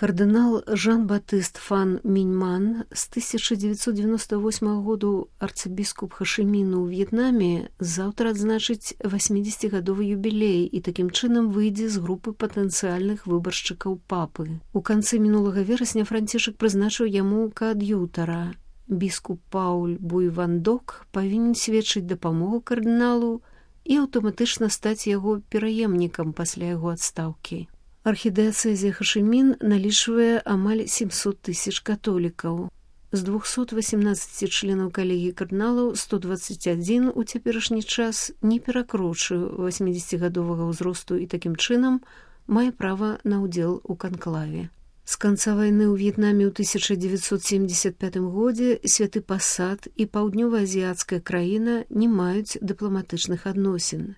Кардынал Жан-Батыст фан Міньман з 1998 году арцыбіскуп Хашыміну ў В'етнаме заўтра адзначыць 80-гадовы юбілей і такім чынам выйдзе з групы патэнцыяльных выбаршчыкаў папы. У канцы мінулага верасня Францішак прызначыў яму каад'ютара. Біскуп Пауль Буйвандок павінен сведчыць дапамогу кардыналу і аўтаматычна стаць яго пераемнікам пасля яго адстаўкі. Архідыяцэзія Хашымін налічвае амаль 700 тысяч католікаў. З 218 членаў калегіі кардыналаў 121 у цяперашні час не перакрочыў 80-гадовага ўзросту і такім чынам мае права на ўдзел у канклаве. З канца вайны ў В'етнаме ў 1975 годзе Святы Пасад і паўднёва-азіяцкая краіна не маюць дыпламатычных адносін.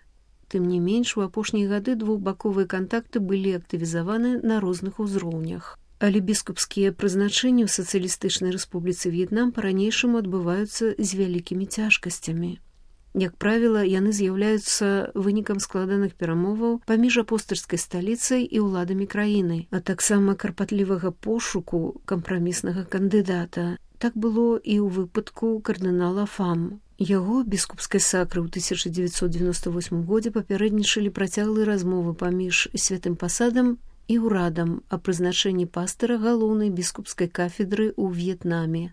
Тым не менш, у апошнія гады двухбаковыя кантакты былі актывізаваны на розных узроўнях. Але біскупскія прызначэнні ў Сацыялістычнай Рэспубліцы В'етнам па-ранейшаму адбываюцца з вялікімі цяжкасцямі. Як правіла, яны з'яўляюцца вынікам складаных перамоваў паміж апостальскай сталіцай і ўладамі краіны, а таксама карпатлівага пошуку кампраміснага кандыдата. Так было і ў выпадку кардынала Фам. Яго біскупскай сакры ў 1998 годзе папярэднічалі працяглыя размовы паміж Святым Пасадам і ўрадам о прызначэнні пастыра галоўнай біскупскай кафедры ў В'етнаме.